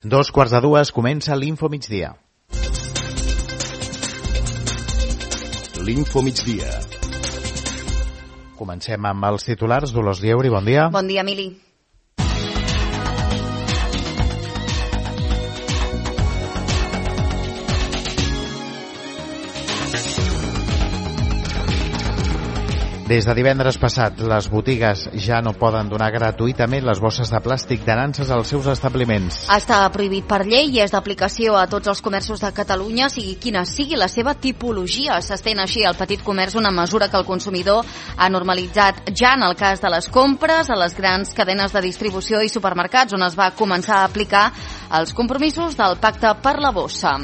2:45 comença l'Info Migdia. L'Info Migdia. Comencem amb els titulars. Dolors Lleuri, bon dia. Bon dia, Emili. Des de divendres passat, les botigues ja no poden donar gratuïtament les bosses de plàstic de nanses als seus establiments. Està prohibit per llei i és d'aplicació a tots els comerços de Catalunya, sigui quina sigui la seva tipologia. S'estén així al petit comerç una mesura que el consumidor ha normalitzat ja en el cas de les compres a les grans cadenes de distribució i supermercats, on es va començar a aplicar els compromisos del Pacte per la Bossa.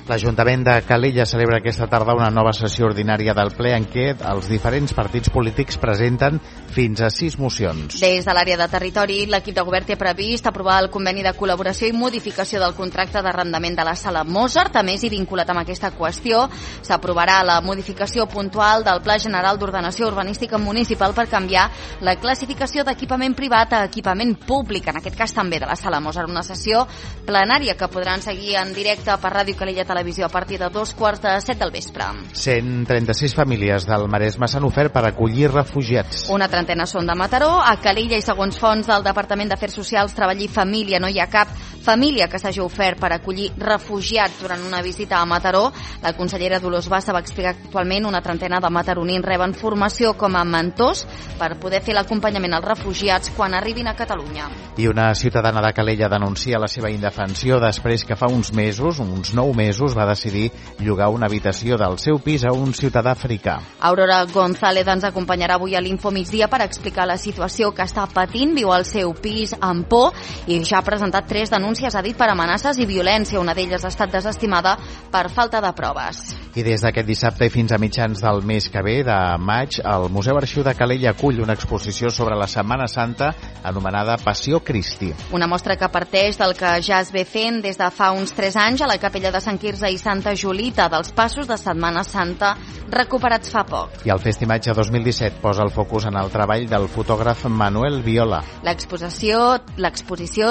L'Ajuntament de Calella celebra aquesta tarda una nova sessió ordinària del ple en què els diferents partits polítics presenten fins a 6 mocions. Des de l'àrea de territori, l'equip de govern té previst aprovar el conveni de col·laboració i modificació del contracte d'arrendament de la sala Mozart. A més, i vinculat amb aquesta qüestió, s'aprovarà la modificació puntual del Pla General d'Ordenació Urbanística Municipal per canviar la classificació d'equipament privat a equipament públic, en aquest cas també de la sala Mozart. Una sessió plenària que podran seguir en directe per Ràdio Calella Televisió a partir de 2:45 del vespre. 136 famílies del Maresme s'han ofert per acollir refugiats. Una trentena són de Mataró. A Calella, i segons fonts del Departament d'Afers Socials, Treball i Família, no hi ha cap família que s'hagi ofert per acollir refugiats durant una visita a Mataró. La consellera Dolors Bassa va explicar que actualment una trentena de mataronins reben formació com a mentors per poder fer l'acompanyament als refugiats quan arribin a Catalunya. I una ciutadana de Calella denuncia la seva indefensió després que fa uns 9 mesos, va decidir llogar una habitació del seu pis a un ciutadà africà. Aurora González ens acompanyarà avui a l'Info Migdia per explicar la situació que està patint. Viu al seu pis amb por i ja ha presentat 3 denúncies, ha dit, per amenaces i violència. Una d'elles ha estat desestimada per falta de proves. I des d'aquest dissabte i fins a mitjans del mes que ve, de maig, el Museu Arxiu de Calella acull una exposició sobre la Setmana Santa anomenada Passió Cristi. Una mostra que parteix del que ja es ve fent des de fa uns 3 anys a la capella de Sant Quirze i Santa Julita, dels passos de Setmana Santa recuperats fa poc. I el Festimatge 2017 posa el focus en el treball del fotògraf Manuel Viola. L'exposició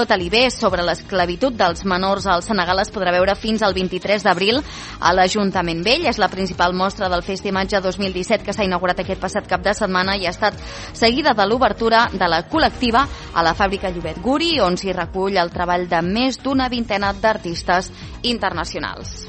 Talibés sobre l'esclavitud dels menors al Senegal es podrà veure fins al 23 d'abril a l'Ajuntament Vell. És la principal mostra del Festimatge 2017 que s'ha inaugurat aquest passat cap de setmana i ha estat seguida de l'obertura de la col·lectiva a la fàbrica Llobet Guri, on s'hi recull el treball de més d'una vintena d'artistes internacionals.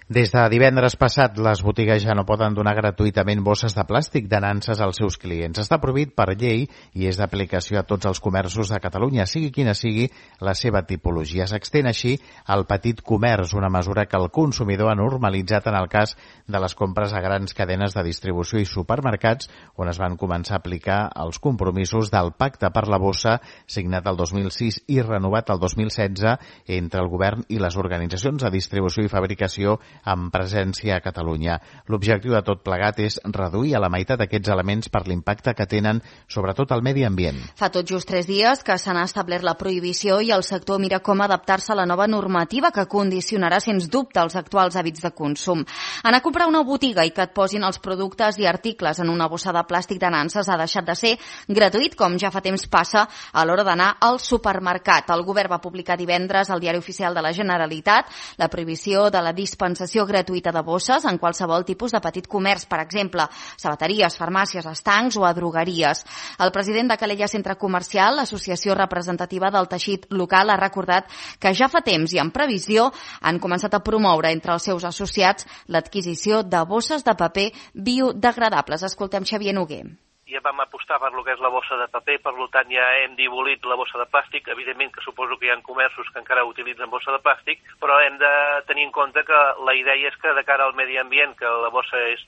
Des de divendres passat, les botigues ja no poden donar gratuïtament bosses de plàstic de nanses als seus clients. Està prohibit per llei i és d'aplicació a tots els comerços de Catalunya, sigui quina sigui la seva tipologia. S'extén així al petit comerç, una mesura que el consumidor ha normalitzat en el cas de les compres a grans cadenes de distribució i supermercats, on es van començar a aplicar els compromisos del Pacte per la Bossa, signat el 2006 i renovat el 2016 entre el govern i les organitzacions de distribució i fabricació amb presència a Catalunya. L'objectiu de tot plegat és reduir a la meitat aquests elements per l'impacte que tenen sobretot al medi ambient. Fa tot just 3 dies que se n'ha establert la prohibició i el sector mira com adaptar-se a la nova normativa que condicionarà sens dubte els actuals hàbits de consum. Anar a comprar una botiga i que et posin els productes i articles en una bossa de plàstic de nanses ha deixat de ser gratuït, com ja fa temps passa a l'hora d'anar al supermercat. El govern va publicar divendres al Diari Oficial de la Generalitat la prohibició de la dispensació gratuïta de bosses en qualsevol tipus de petit comerç, per exemple, sabateries, farmàcies, estancs o a drogueries. El president de Calella Centre Comercial, l'associació representativa del teixit local, ha recordat que ja fa temps i en previsió han començat a promoure entre els seus associats l'adquisició de bosses de paper biodegradables. Escoltem Xavier Noguer. Ja vam apostar per lo que és la bossa de paper, per tant ja hem dibolit la bossa de plàstic. Evidentment que suposo que hi ha comerços que encara utilitzen bossa de plàstic, però hem de tenir en compte que la idea és que de cara al medi ambient, que la bossa és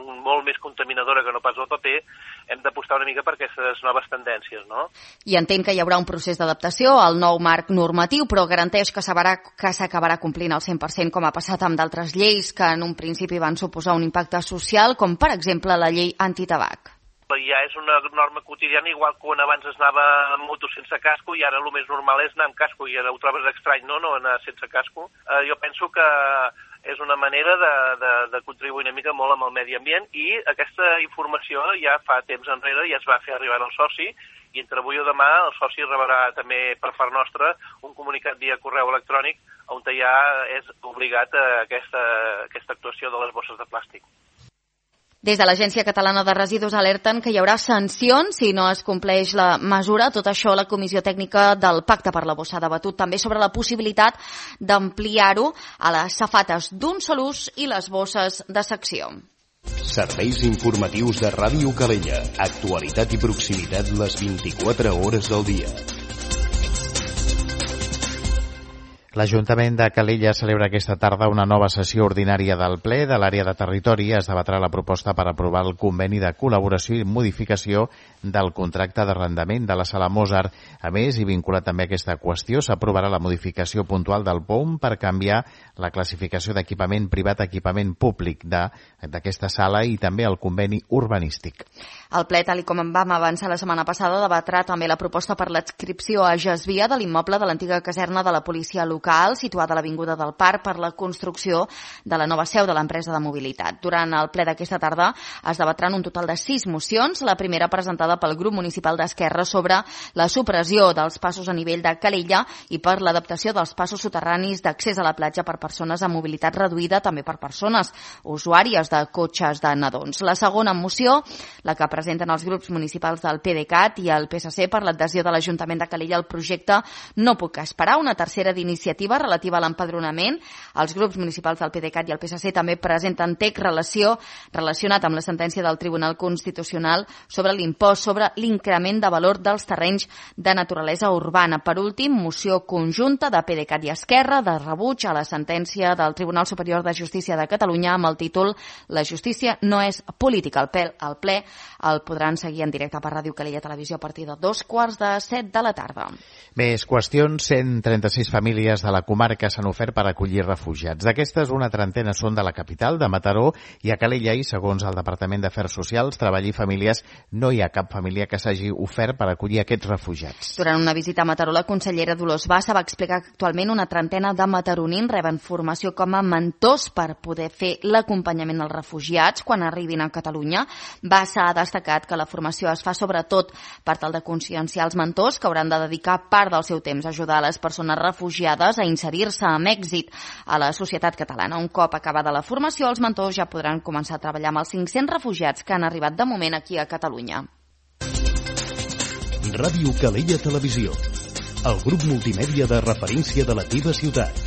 molt més contaminadora que no pas el paper, hem d'apostar una mica per aquestes noves tendències, no? I entenc que hi haurà un procés d'adaptació al nou marc normatiu, però garanteix que s'acabarà complint al 100%, com ha passat amb d'altres lleis que en un principi van suposar un impacte social, com per exemple la llei antitabac. Ja és una norma quotidiana, igual que quan abans es anava amb moto sense casco i ara el més normal és anar amb casco i ara ho trobes estrany, no anar sense casco. Jo penso que és una manera de contribuir una mica molt amb el medi ambient, i aquesta informació ja fa temps enrere ja es va fer arribar al soci, i entre avui o demà el soci rebrà també per part nostra un comunicat via correu electrònic on ja és obligat aquesta actuació de les bosses de plàstic. Des de l'Agència Catalana de Residus alerten que hi haurà sancions si no es compleix la mesura. Tot això la Comissió Tècnica del Pacte per la Bossa ha debatut també sobre la possibilitat d'ampliar-ho a les safates d'un sol ús i les bosses de secció. Serveis informatius de Ràdio Calella. Actualitat i proximitat les 24 hores del dia. L'Ajuntament de Calella celebra aquesta tarda una nova sessió ordinària del ple de l'àrea de territori. Es debatrà la proposta per aprovar el conveni de col·laboració i modificació del contracte d'arrendament de la Sala Mozart. A més, i vinculat també a aquesta qüestió, s'aprovarà la modificació puntual del POUM per canviar la classificació d'equipament privat a equipament públic d'aquesta sala i també el conveni urbanístic. El ple, tal com en vam avançar la setmana passada, debatrà també la proposta per l'adscripció a Gesvia de l'immoble de l'antiga caserna de la policia local, situada a l'Avinguda del Parc, per la construcció de la nova seu de l'empresa de mobilitat. Durant el ple d'aquesta tarda es debatran un total de 6 mocions, la primera presentada pel grup municipal d'Esquerra sobre la supressió dels passos a nivell de Calella i per l'adaptació dels passos soterranis d'accés a la platja per persones amb mobilitat reduïda, també per persones usuàries de cotxes de nadons. La segona moció, la que presenten els grups municipals del PDeCAT i el PSC per l'adhesió de l'Ajuntament de Calella al projecte No puc esperar, una tercera d'iniciativa relativa a l'empadronament. Els grups municipals del PDeCAT i el PSC també presenten text relacionat amb la sentència del Tribunal Constitucional sobre l'impost sobre l'increment de valor dels terrenys de naturalesa urbana. Per últim, moció conjunta de PDeCAT i Esquerra de rebuig a la sentència del Tribunal Superior de Justícia de Catalunya amb el títol La justícia no és política. El ple el podran seguir en directe per Ràdio Calella Televisió a partir de 2:45 de la tarda. Més qüestions. 136 famílies de la comarca s'han ofert per acollir refugiats. D'aquestes, una trentena són de la capital, de Mataró, i a Calella, i segons el Departament d'Afers Socials, Treball i Famílies, no hi ha cap família que s'hagi ofert per acollir aquests refugiats. Durant una visita a Mataró, la consellera Dolors Bassa va explicar que actualment una trentena de mataronins reben formació com a mentors per poder fer l'acompanyament als refugiats quan arribin a Catalunya. Bassa ha destacat que la formació es fa sobretot per tal de conscienciar els mentors que hauran de dedicar part del seu temps a ajudar a les persones refugiades a inserir-se amb èxit a la societat catalana. Un cop acabada la formació, els mentors ja podran començar a treballar amb els 500 refugiats que han arribat de moment aquí a Catalunya. Ràdio Calella Televisió, el grup multimèdia de referència de la teva ciutat.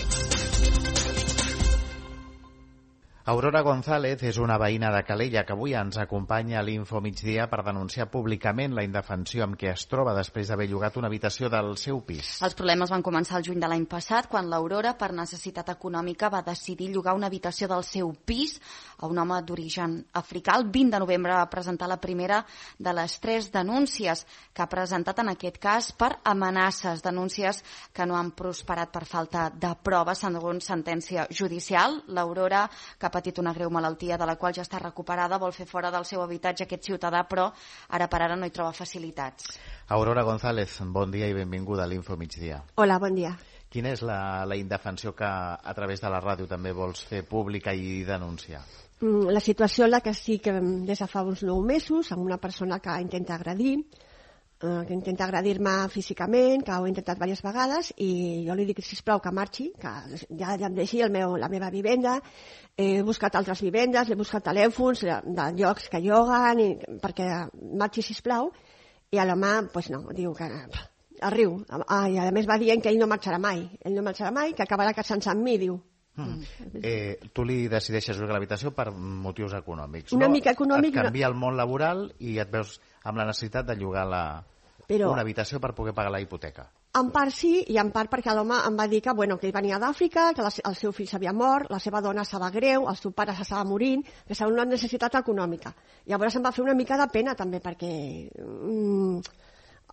Aurora González és una veïna de Calella que avui ens acompanya a l'Info Migdia per denunciar públicament la indefensió amb què es troba després d'haver llogat una habitació del seu pis. Els problemes van començar el juny de l'any passat, quan l'Aurora, per necessitat econòmica, va decidir llogar una habitació del seu pis a un home d'origen africà. El 20 de novembre va presentar la primera de les 3 denúncies que ha presentat en aquest cas per amenaces, denúncies que no han prosperat per falta de proves, segons sentència judicial. L'Aurora, que ha patit una greu malaltia de la qual ja està recuperada, vol fer fora del seu habitatge aquest ciutadà, però ara per ara no hi troba facilitats. Aurora González, bon dia i benvinguda a l'Info Migdia. Hola, bon dia. Quina és la indefensió que a través de la ràdio també vols fer pública i denunciar? La situació en la que estic des de fa uns 9 mesos, amb una persona que intenta agredir-me físicament, que ho he intentat diverses vegades, i jo li dic, sisplau, que marxi, que ja em deixi la meva vivenda. He buscat altres vivendes, he buscat telèfons de llocs que lloguen, perquè marxi, sisplau, i l'home, doncs no, diu que es riu. I a més va dient que ell no marxarà mai, que acabarà casant-se amb mi, diu. Tu li decideixes llogar l'habitació per motius econòmics, una no? Mica econòmic, et canvia el món laboral i et veus amb la necessitat de llogar una habitació per poder pagar la hipoteca. En part sí, i en part perquè l'home em va dir que ell venia d'Àfrica, que el seu fill s'havia mort, la seva dona estava greu, el seu pare s'estava morint, que estava una necessitat econòmica. Llavors em va fer una mica de pena també, perquè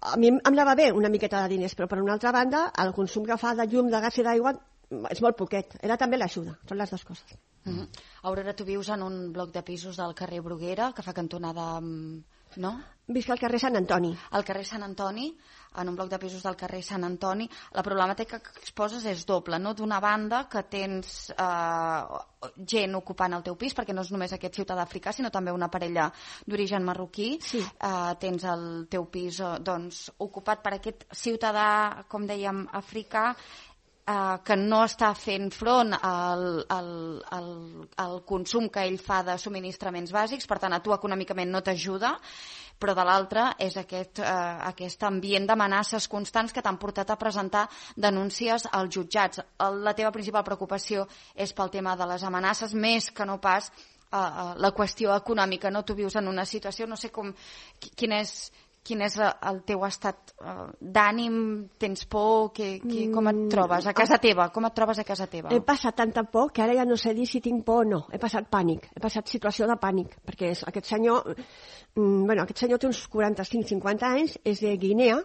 a mi em anava bé una miqueta de diners, però per una altra banda el consum que fa de llum, de gas i d'aigua és molt poquet. Era també l'ajuda, són les dues coses. Aurora, tu vius en un bloc de pisos del carrer Bruguera, que fa cantonada amb No? Visc al carrer Sant Antoni. Al carrer Sant Antoni, en un bloc de pisos del carrer Sant Antoni, la problemàtica que exposes és doble, no? D'una banda que tens gent ocupant el teu pis, perquè no és només aquest ciutadà africà, sinó també una parella d'origen marroquí. Sí. Tens el teu pis ocupat per aquest ciutadà, com dèiem, africà, que no està fent front al consum que ell fa de subministraments bàsics, per tant a tu econòmicament no t'ajuda, però de l'altra és aquest ambient d'amenaces constants que t'han portat a presentar denúncies als jutjats. La teva principal preocupació és pel tema de les amenaces, més que no pas la qüestió econòmica, no? Tu vius en una situació, no sé quin és el teu estat d'ànim, tens por, com et trobes a casa teva? Com et trobes a casa teva? He passat tanta por que ara ja no sé dir si tinc por o no. He passat pànic, he passat situació de pànic, perquè aquest senyor té uns 45-50 anys, és de Guinea,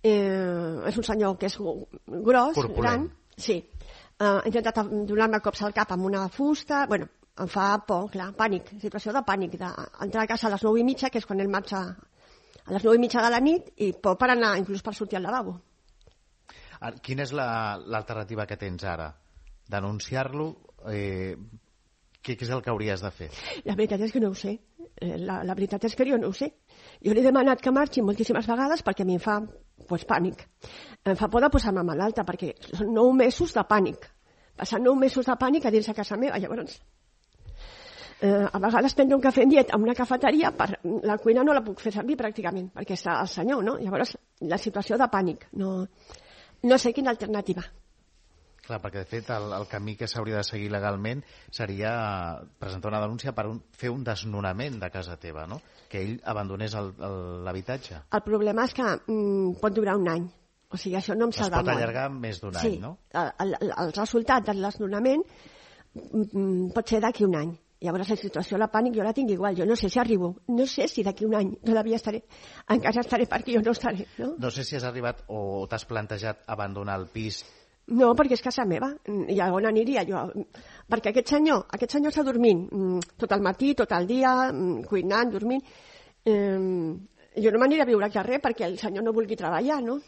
és un senyor que és gros, corpulent, gran, sí. Ha intentat donar-me cops al cap amb una fusta, bueno, em fa por, clar, pànic, situació de pànic, d'entrar a casa a les 9:30, que és quan ell marxa a les 9:30 de la nit, i por per anar, inclús per sortir al lavabo. Quina és l'alternativa que tens ara? Denunciar-lo? Què és el que hauries de fer? La veritat és que no ho sé. La veritat és que jo no ho sé. Jo li he demanat que marxi moltíssimes vegades perquè a mi em fa pànic. Em fa por de posar-me malalta, perquè són 9 mesos de pànic. Passar 9 mesos de pànic a dins de casa meva. Llavors, a vegades prendre un cafè en llet en una cafeteria, la cuina no la puc fer servir pràcticament, perquè està el senyor, no? Llavors, la situació de pànic. No sé quina alternativa. Clar, perquè de fet el camí que s'hauria de seguir legalment seria presentar una denúncia per fer un desnonament de casa teva, no? Que ell abandonés l'habitatge. El problema és que pot durar un any. O sigui, això no em salva molt. Es pot allargar més d'un any, no? El resultat del desnonament pot ser d'aquí un any. Llavors la situació de pànic jo la tinc igual. Jo no sé si arribo. No sé si d'aquí un any todavía estaré. Encara estaré perquè jo no estaré. No sé si has arribat o t'has plantejat abandonar el pis. No, perquè és casa meva. I a on aniria jo? Perquè aquest senyor està dormint tot el matí, tot el dia, cuinant, dormint. Jo no m'aniré a viure al carrer perquè el senyor no vulgui treballar, no?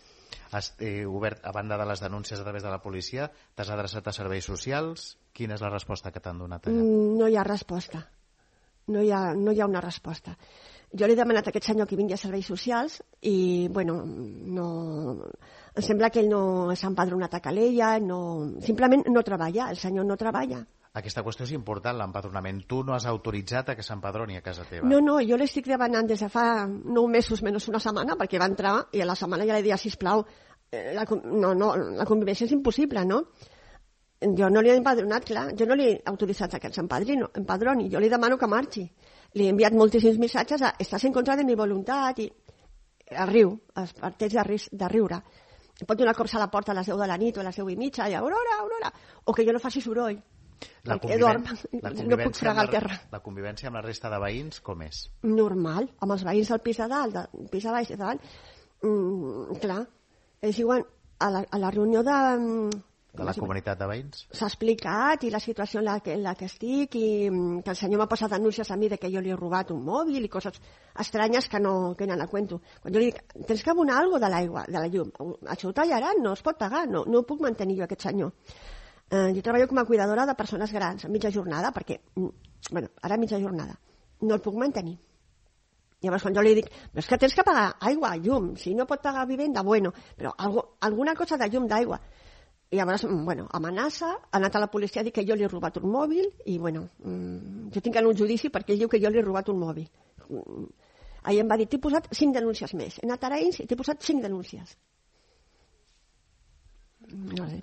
Has obert, a banda de les denúncies a través de la policia, t'has adreçat a serveis socials? Quina és la resposta que t'han donat allà? No hi ha resposta. No hi ha una resposta. Jo li he demanat a aquest senyor que vingui a serveis socials i, bueno, em sembla que ell no s'ha empadronat a Calella, simplement no treballa, el senyor no treballa. Aquesta qüestió és important, l'empadronament. Tu no has autoritzat a que s'empadroni a casa teva. No, jo l'estic demanant des de fa 9 mesos menys una setmana, perquè va entrar i a la setmana ja li deia, sisplau, la convivència és impossible, no? Jo no li he empadronat, clar, jo no li he autoritzat que s'empadroni, jo li demano que marxi. Li he enviat moltíssims missatges a estàs en contra de mi voluntat i riu, es parteix de riure. Pot donar cops a la porta a les 10 de la nit o a les 10:30 i Aurora, o que jo no faci soroll. No puc fregar al terra. La convivència amb la resta de veïns com és? Normal, amb els veïns del pis de dalt, del pis de baix de dalt. Clar, ells diuen a la reunió de la comunitat de veïns? S'ha explicat i la situació en la que estic i que el senyor m'ha posat denúncies a mi de que jo li he robat un mòbil i coses estranyes que no la cuento. Quan jo li dic, tens que abonar alguna cosa de l'aigua, de la llum, això ho tallaran, no es pot pagar, no puc mantenir jo aquest senyor. Jo treballo com a cuidadora de persones grans a mitja jornada perquè, ara a mitja jornada, no el puc mantenir. Llavors quan jo li dic, però és que tens que pagar aigua, llum, si no pot pagar vivenda, però alguna cosa de llum, d'aigua. I llavors, amenaça, ha anat a la policia a dir que jo li he robat un mòbil i, jo tinc en un judici perquè ell diu que jo li he robat un mòbil. Ahir em va dir, t'he posat 5 denúncies més. He anat a ells i t'he posat 5 denúncies. No sé.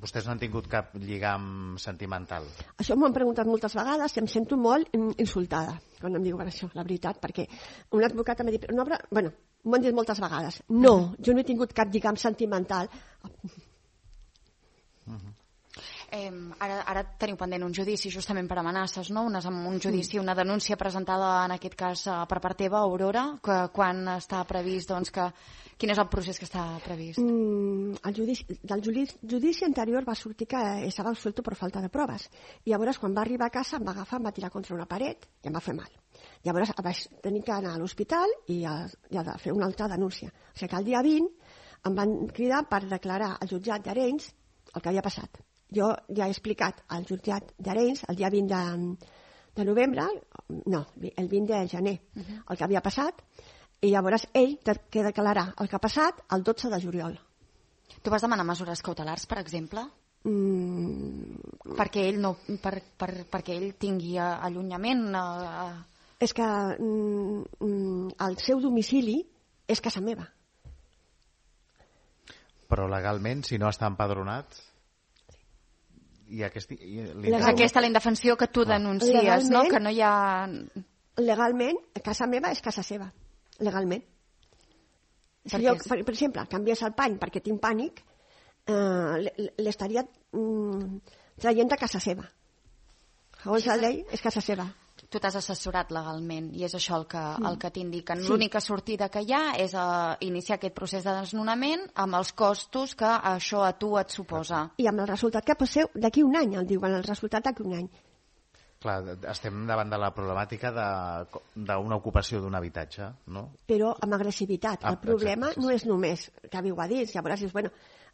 Vostès no han tingut cap lligam sentimental? Això m'ho han preguntat moltes vegades i em sento molt insultada quan em diuen això, la veritat, perquè un advocat m'ha dit, m'ho han dit moltes vegades, no, jo no he tingut cap lligam sentimental. Ara teniu pendent un judici justament per amenaces, no? Un judici, una denúncia presentada en aquest cas per part teva, Aurora, quan està previst, quin és el procés que està previst? Del judici anterior va sortir que estava suelto per falta de proves i llavors quan va arribar a casa em va agafar, em va tirar contra una paret i em va fer mal. Llavors vaig tenir que anar a l'hospital i ha de fer una altra denúncia. O sigui que el dia 20 em van cridar per declarar al jutjat d'Arenys el que havia passat. Jo ja he explicat al jutjat d'Arenys el dia 20 de novembre, no, el 20 de gener, el que havia passat, i llavors ell té que declarar el que ha passat el 12 de juliol. Tu vas demanar mesures cautelars, per exemple? Perquè ell no, perquè ell tingui allunyament? És que el seu domicili és casa meva. Però legalment, si no està empadronat... Aquesta és la indefensió que tu denuncies, no? Que no hi ha... Legalment, casa meva és casa seva. Legalment. Si jo, per exemple, canviés el pany perquè tinc pànic, l'estaria traient de casa seva. Segons la llei, és casa seva. Tu t'has assessorat legalment i és això el que t'indiquen. L'única sortida que hi ha és iniciar aquest procés de desnonament amb els costos que això a tu et suposa. I amb el resultat que passeu d'aquí un any, el diuen, el resultat d'aquí un any. Clar, estem davant de la problemàtica d'una ocupació d'un habitatge, no? Però amb agressivitat. El problema no és només que viu a dins, llavors dius, bueno,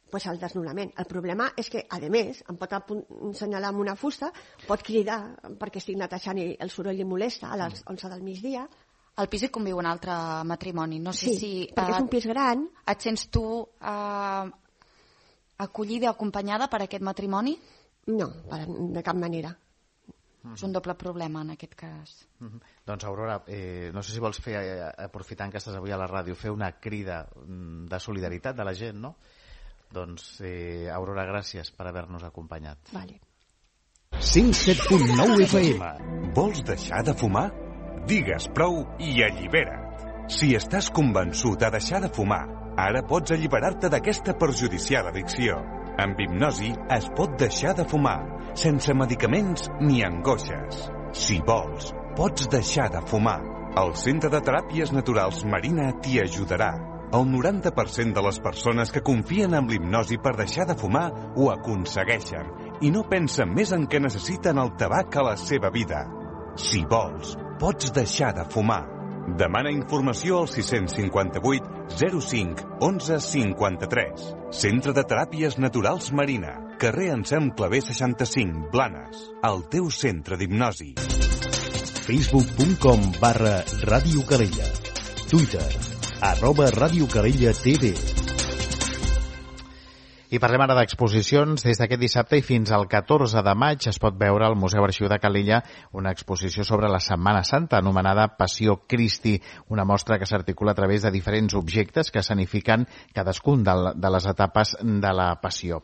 pues el desnonament. El problema és que, a més, em pot assenyalar amb una fusta, pot cridar perquè estic netejant i el soroll li molesta a les 11 del migdia. Al pis hi conviu un altre matrimoni. No sé si perquè és un pis gran. Et sents tu acollida, acompanyada per aquest matrimoni? No, de cap manera. És un doble problema en aquest cas. Doncs Aurora, no sé si vols fer, aprofitant que estàs avui a la ràdio, fer una crida de solidaritat de la gent, no? Doncs, Aurora, gràcies per haver-nos acompanyat. Vale. 107.9 FM. Vols deixar de fumar? Digues prou i allibera't. Si estàs convençut a deixar de fumar, ara pots alliberar-te d'aquesta perjudicial addicció. Amb hipnosi es pot deixar de fumar, sense medicaments ni angoixes. Si vols, pots deixar de fumar. El Centre de Teràpies Naturals Marina t'hi ajudarà. El 90% de les persones que confien en l'hipnosi per deixar de fumar ho aconsegueixen i no pensen més en que necessiten el tabac a la seva vida. Si vols, pots deixar de fumar. Demana informació al 658 05 11 53. Centre de Teràpies Naturals Marina. Carrer Ensem Clavé 65, Blanes. El teu centre d'hipnosi. Facebook.com/Ràdio Calella. Twitter @Ràdio Calella TV. I parlem ara d'exposicions. Des d'aquest dissabte i fins al 14 de maig es pot veure al Museu Arxiu de Calella una exposició sobre la Setmana Santa anomenada Passió Christi, una mostra que s'articula a través de diferents objectes que escenifiquen cadascun de les etapes de la Passió.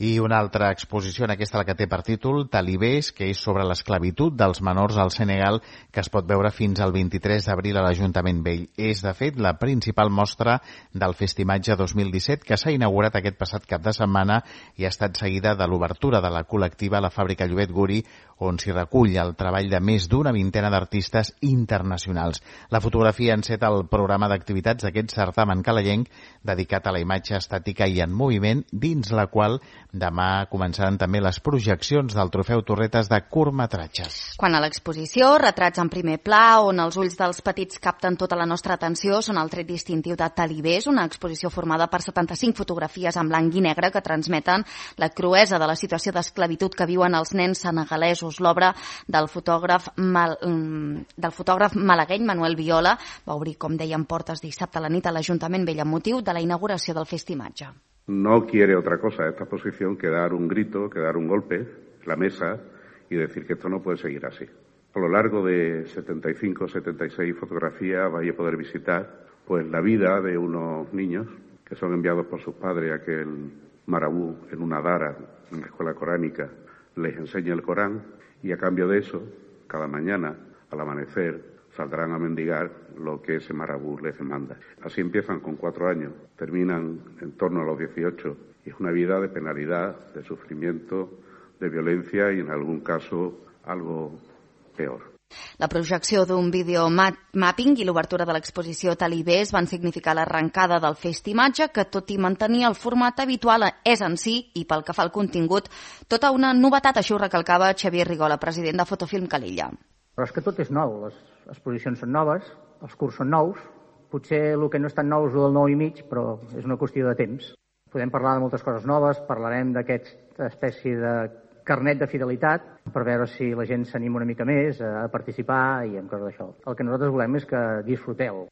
I una altra exposició, en aquesta la que té per títol Talibés, que és sobre l'esclavitud dels menors al Senegal, que es pot veure fins al 23 d'abril a l'Ajuntament Vell. És, de fet, la principal mostra del Festimatge 2017, que s'ha inaugurat aquest passat cap de setmana i ha estat seguida de l'obertura de la col·lectiva a la fàbrica Llobet Guri, on s'hi recull el treball de més d'una vintena d'artistes internacionals. La fotografia enceta el programa d'activitats d'aquest certamen calellenc dedicat a la imatge estàtica i en moviment, dins la qual demà començaran també les projeccions del Trofeu Torretes de curtmetratges. Quan a l'exposició, retrats en primer pla, on els ulls dels petits capten tota la nostra atenció, són el tret distintiu de Talibés, una exposició formada per 75 fotografies en blanc i negre que transmeten la cruesa de la situació d'esclavitud que viuen els nens senegalesos. L'obra del fotògraf malagueny Manuel Viola va obrir, com dèiem, portes dissabte a la nit a l'Ajuntament Vell amb motiu de la inauguració del Festimatge. No quiere otra cosa esta exposición que dar un grito, que dar un golpe en la mesa y decir que esto no puede seguir así. A lo largo de 75, 76 fotografías vais a poder visitar pues la vida de unos niños que son enviados por sus padres a que el marabú en una dara, en la escuela coránica, les enseñe el Corán y a cambio de eso, cada mañana al amanecer saldrán a mendigar lo que ese marabú les demanda. Así empiezan con 4 años, terminan en torno a los 18 y es una vida de penalidad, de sufrimiento, de violencia y en algún caso algo peor. La projecció d'un videomapping i l'obertura de l'exposició Talibés van significar l'arrencada del Festimatge, que tot i mantenir el format habitual és en si, i pel que fa al contingut, tota una novetat, això ho recalcava Xavier Rigola, president de Fotofilm Calella. Però és que tot és nou, les exposicions són noves, els curs són nous, potser el que no és tan nou és el del 9 i mig, però és una qüestió de temps. Podem parlar de moltes coses noves, parlarem d'aquesta espècie de carnet de fidelitat per veure si la gent s'anima una mica més a participar i en coses d'això. El que nosaltres volem és que disfruteu.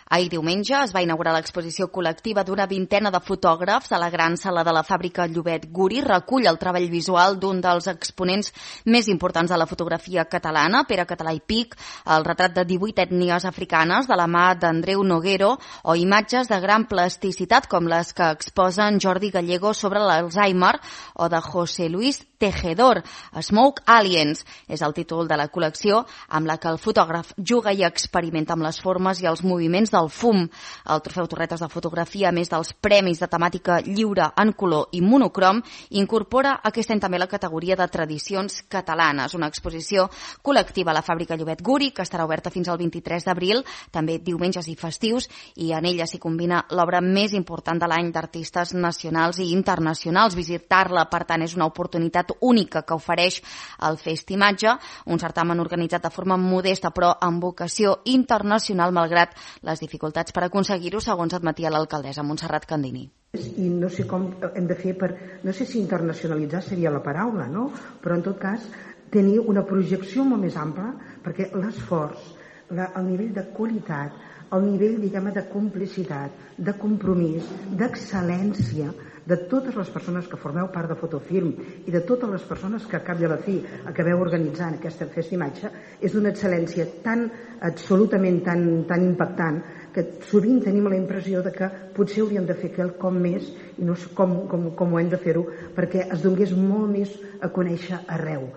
Ahir diumenge es va inaugurar l'exposició col·lectiva d'una vintena de fotògrafs a la gran sala de la fàbrica Llobet. Guri recull el treball visual d'un dels exponents més importants de la fotografia catalana, Pere Català i Pic, el retrat de 18 ètnies africanes de la mà d'Andreu Noguero o imatges de gran plasticitat com les que exposen Jordi Gallego sobre l'Alzheimer o de José Luis Tejedor. Smoke Aliens és el títol de la col·lecció amb la que el fotògraf juga i experimenta amb les formes i els moviments del fum. El Trofeu Torretes de Fotografia, a més dels premis de temàtica lliure en color i monocrom, incorpora aquest any també la categoria de tradicions catalanes, una exposició col·lectiva a la fàbrica Llobet Guri, que estarà oberta fins al 23 d'abril, també diumenges i festius, i en ella s'hi combina l'obra més important de l'any d'artistes nacionals i internacionals. Visitar-la, per tant, és una oportunitat única que ofereix el Festimatge, un certamen organitzat de forma modesta però amb vocació internacional malgrat les dificultats per aconseguir-ho, segons admetia l'alcaldessa Montserrat Candini. I no sé com hem de fer no sé si internacionalitzar seria la paraula, no? Però en tot cas tenir una projecció molt més ampla, perquè l'esforç, el nivell de qualitat, el nivell, diguem-ne, de complicitat, de compromís, d'excel·lència de totes les persones que formeu part de Fotofilm i de totes les persones que a cap i a la fi acabeu organitzant aquesta Festimatge és d'una excel·lència tan absolutament tan impactant que sovint tenim la impressió de que potser hauríem de fer quelcom més i no sé com ho hem de fer-ho perquè es donés molt més a conèixer arreu.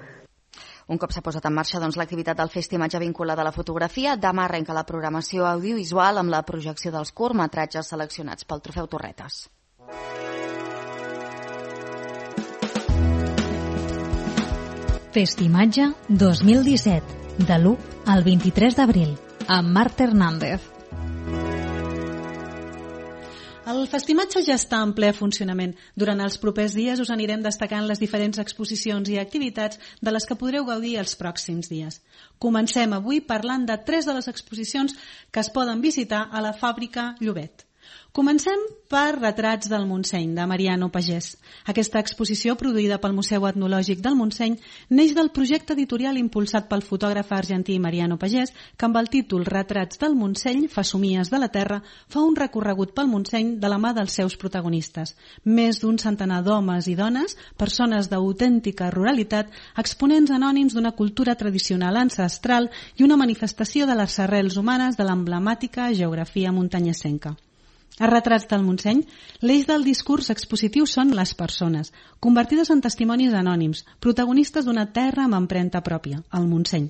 Un cop s'ha posat en marxa l'activitat del Festimatge vinculada a la fotografia, demà arrenca la programació audiovisual amb la projecció dels curtmetratges seleccionats pel Trofeu Torretes. Festimatge 2017, de l'1 al 23 d'abril, amb Marta Hernández. El Festimatge ja està en ple funcionament. Durant els propers dies us anirem destacant les diferents exposicions i activitats de les que podreu gaudir els pròxims dies. Comencem avui parlant de 3 de les exposicions que es poden visitar a la fàbrica Llobet. Comencem per Retrats del Montseny, de Mariano Pagès. Aquesta exposició, produïda pel Museu Etnològic del Montseny, neix del projecte editorial impulsat pel fotògraf argentí Mariano Pagès, que amb el títol Retrats del Montseny, Fesomies de la Terra, fa un recorregut pel Montseny de la mà dels seus protagonistes. Més d'un centenar d'homes i dones, persones d'autèntica ruralitat, exponents anònims d'una cultura tradicional ancestral i una manifestació de les arrels humanes de l'emblemàtica geografia muntanyesenca. A Retrats del Montseny, l'eix del discurs expositiu són les persones, convertides en testimonis anònims, protagonistes d'una terra amb empremta pròpia, el Montseny.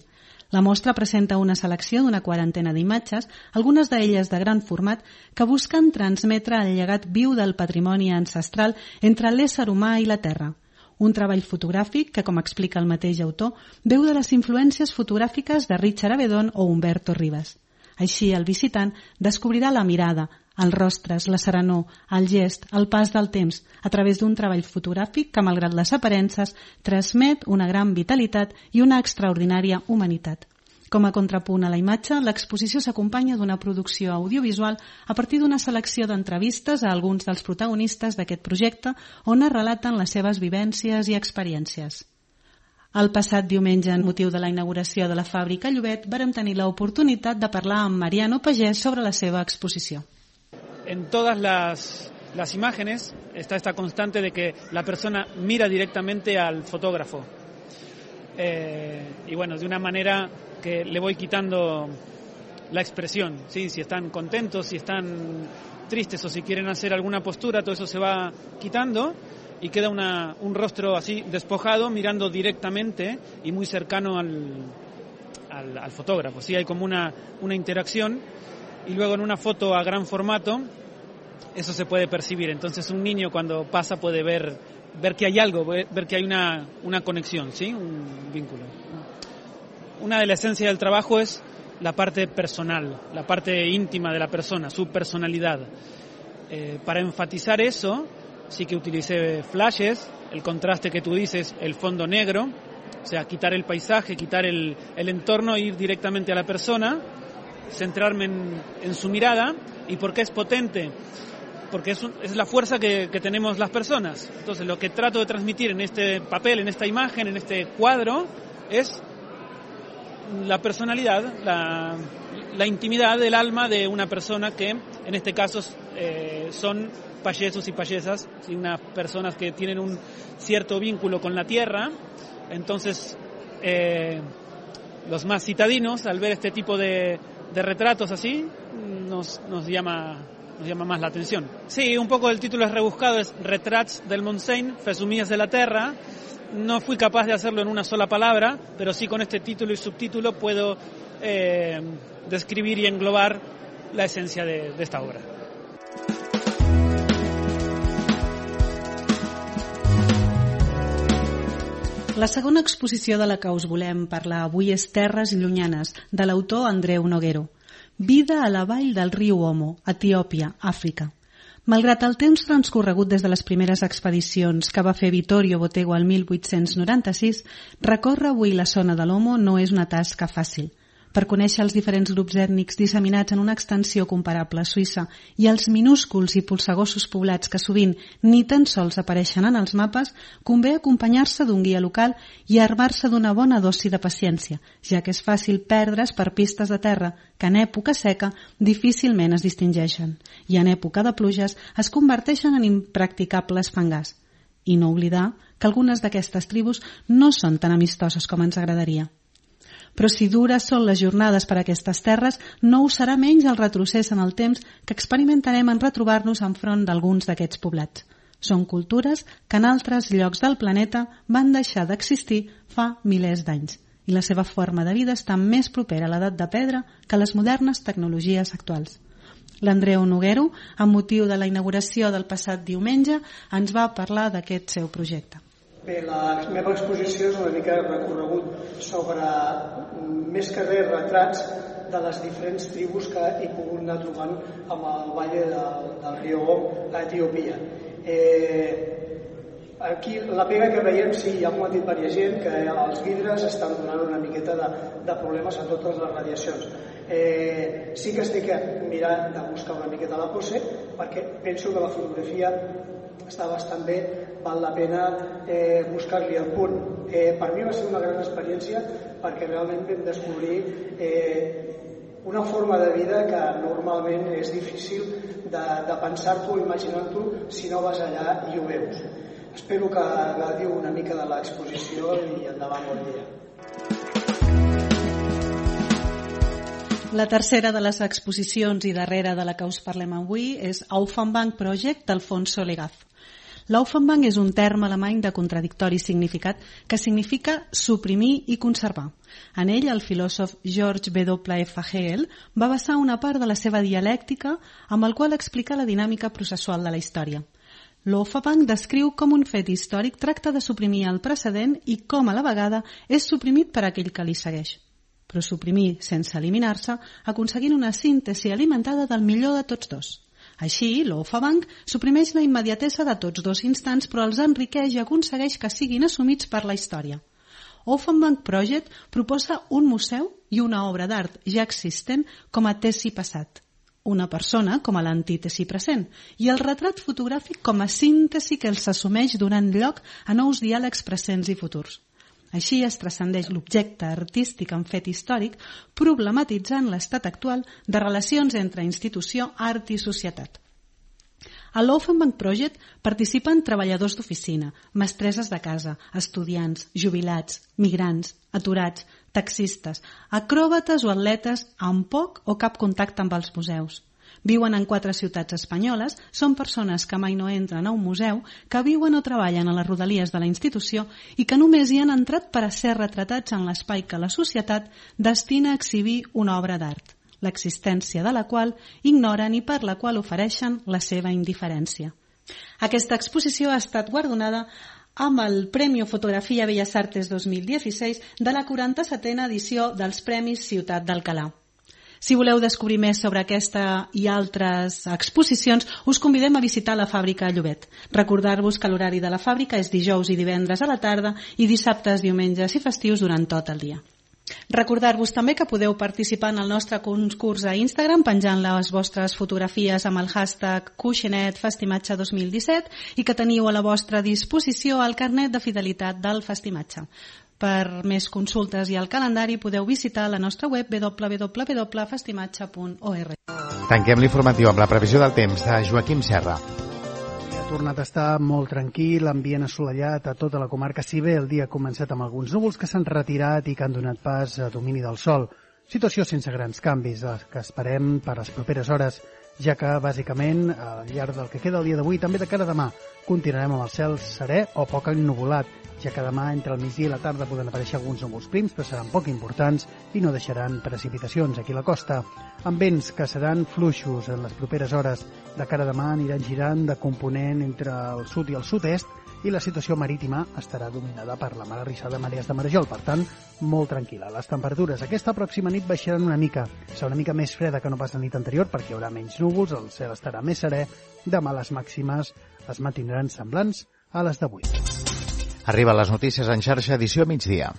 La mostra presenta una selecció d'una 40 d'imatges, algunes d'elles de gran format, que busquen transmetre el llegat viu del patrimoni ancestral entre l'ésser humà i la terra. Un treball fotogràfic que, com explica el mateix autor, beu de les influències fotogràfiques de Richard Avedon o Humberto Rivas. Així, el visitant descobrirà la mirada, els rostres, la serenor, el gest, el pas del temps, a través d'un treball fotogràfic que, malgrat les aparences, transmet una gran vitalitat i una extraordinària humanitat. Com a contrapunt a la imatge, l'exposició s'acompanya d'una producció audiovisual a partir d'una selecció d'entrevistes a alguns dels protagonistes d'aquest projecte on es relaten les seves vivències i experiències. El passat diumenge, en motiu de la inauguració de la fàbrica Llobet, vàrem tenir l'oportunitat de parlar amb Mariano Pagès sobre la seva exposició. En todas las imágenes está esta constante de que la persona mira directamente al fotógrafo. Y bueno, de una manera que le voy quitando la expresión, ¿sí? Si están contentos, si están tristes o si quieren hacer alguna postura, todo eso se va quitando y queda un rostro así despojado mirando directamente y muy cercano al fotógrafo. Sí, hay como una interacción y luego en una foto a gran formato eso se puede percibir. Entonces un niño cuando pasa puede ver que hay algo, ver que hay una conexión, ¿sí? Un vínculo. Una de las esencias del trabajo es la parte personal, la parte íntima de la persona, su personalidad. Para enfatizar eso, sí que utilicé flashes, el contraste que tú dices, el fondo negro, O sea, quitar el paisaje, quitar el entorno, ir directamente a la persona, centrarme en su mirada. ¿Y por qué es potente? Porque es la fuerza que tenemos las personas. Entonces, lo que trato de transmitir en este papel, en esta imagen, en este cuadro, es la personalidad, la intimidad del alma de una persona que, en este caso, son payesos y payesas, ¿sí? Unas personas que tienen un cierto vínculo con la tierra. Entonces, los más citadinos, al ver este tipo de retratos así, nos llama más la atención. Sí, un poco el título es rebuscado, es Retrats del Montseny, Fesomies de la Terra. No fui capaz de hacerlo en una sola palabra, pero sí con este título y subtítulo puedo describir y englobar la esencia de esta obra. La segona exposició de la que us volem parlar avui és Terres llunyanes, de l'autor Andreu Noguero. Vida a la vall del riu Omo, Etiòpia, Àfrica. Malgrat el temps transcorregut des de les primeres expedicions que va fer Vittorio Bottego al 1896, recórrer avui la zona de l'Omo no és una tasca fàcil. Per conèixer els diferents grups ètnics disseminats en una extensió comparable a Suïssa i els minúsculs i polsegossos poblats que sovint ni tan sols apareixen en els mapes, convé acompanyar-se d'un guia local i armar-se d'una bona dosi de paciència, ja que és fàcil perdre's per pistes de terra que en època seca difícilment es distingeixen i en època de pluges es converteixen en impracticables fangars. I no oblidar que algunes d'aquestes tribus no són tan amistoses com ens agradaria. Però si dures són les jornades per a aquestes terres, no ho serà menys el retrocés en el temps que experimentarem en retrobar-nos enfront d'alguns d'aquests poblats. Són cultures que en altres llocs del planeta van deixar d'existir fa milers d'anys i la seva forma de vida està més propera a l'edat de pedra que a les modernes tecnologies actuals. L'Andreu Noguero, amb motiu de la inauguració del passat diumenge, ens va parlar d'aquest seu projecte. Bé, la meva exposició és una mica recorregut sobre, més que res, retrats de les diferents tribus que he pogut anar trobant amb el vall del riu Om a Etiòpia. Aquí la pega que veiem, sí, ja m'ho ha dit diversa gent, que els vidres estan donant una miqueta de problemes a totes les radiacions. Sí que estic mirant de buscar una miqueta la pose, perquè penso que la fotografia està bastant bé, val la pena buscar-li el punt. Per mi va ser una gran experiència perquè realment vam descobrir una forma de vida que normalment és difícil de pensar-t'ho o imaginar-t'ho si no vas allà i ho veus. Espero que gaudiu una mica de l'exposició i endavant, bon dia. La tercera de les exposicions i darrera de la que us parlem avui és Auffanbank Project d'Alfonso Legaz. L'Auffanbank és un terme alemany de contradictori significat que significa suprimir i conservar. En ell, el filòsof George W.F. Hegel va basar una part de la seva dialèctica amb el qual explica la dinàmica processual de la història. L'Auffanbank descriu com un fet històric tracta de suprimir el precedent i com a la vegada és suprimit per aquell que li segueix. Però suprimir sense eliminar-se, aconseguint una síntesi alimentada del millor de tots dos. Així, l'Auffanbank suprimeix la immediatesa de tots dos instants, però els enriqueix i aconsegueix que siguin assumits per la història. Auffanbank Project proposa un museu i una obra d'art ja existent com a tesi passat, una persona com a l'antítesi present i el retrat fotogràfic com a síntesi que els assumeix donant lloc a nous diàlegs presents i futurs. Així es transcendeix l'objecte artístic en fet històric, problematitzant l'estat actual de relacions entre institució, art i societat. A l'Auffanbank Project participen treballadors d'oficina, mestresses de casa, estudiants, jubilats, migrants, aturats, taxistes, acròbates o atletes amb poc o cap contacte amb els museus. Viuen en 4 ciutats espanyoles, són persones que mai no entren a un museu, que viuen o treballen a les rodalies de la institució i que només hi han entrat per a ser retratats en l'espai que la societat destina a exhibir una obra d'art, l'existència de la qual ignoren i per la qual ofereixen la seva indiferència. Aquesta exposició ha estat guardonada amb el Premio Fotografia Bellas Artes 2016 de la 47a edició dels Premis Ciutat d'Alcalà. Si voleu descobrir més sobre aquesta i altres exposicions, us convidem a visitar la fàbrica a Llobet. Recordar-vos que l'horari de la fàbrica és dijous i divendres a la tarda i dissabtes, diumenges i festius durant tot el dia. Recordar-vos també que podeu participar en el nostre concurs a Instagram penjant les vostres fotografies amb el hashtag Cuixinetfestimatge 2017 i que teniu a la vostra disposició el carnet de fidelitat del Festimatge. Per més consultes i el calendari podeu visitar la nostra web www.festimatge.org. Tanquem l'informatiu amb la previsió del temps de Joaquim Serra. Ha tornat a estar molt tranquil, ambient assolellat a tota la comarca, si bé el dia ha començat amb alguns núvols que s'han retirat i que han donat pas a domini del sol. Situació sense grans canvis, que esperem per les properes hores, ja que, bàsicament, al llarg del que queda el dia d'avui, també de cara a demà, continuarem amb el cel serè o poc ennuvolat, ja que demà entre el migdia i la tarda poden aparèixer alguns núvols prims, però seran poc importants i no deixaran precipitacions aquí a la costa, amb vents que seran fluixos en les properes hores. De cara a demà aniran girant de component entre el sud i el sud-est i la situació marítima estarà dominada per la mar arrissada de marees de marejol, per tant, molt tranquil·la. Les temperatures aquesta pròxima nit baixaran una mica, serà una mica més freda que no pas la nit anterior perquè hi haurà menys núvols, el cel estarà més serè, demà les màximes es mantindran semblants a les d'avui. Arriben les notícies en xarxa, edició migdia.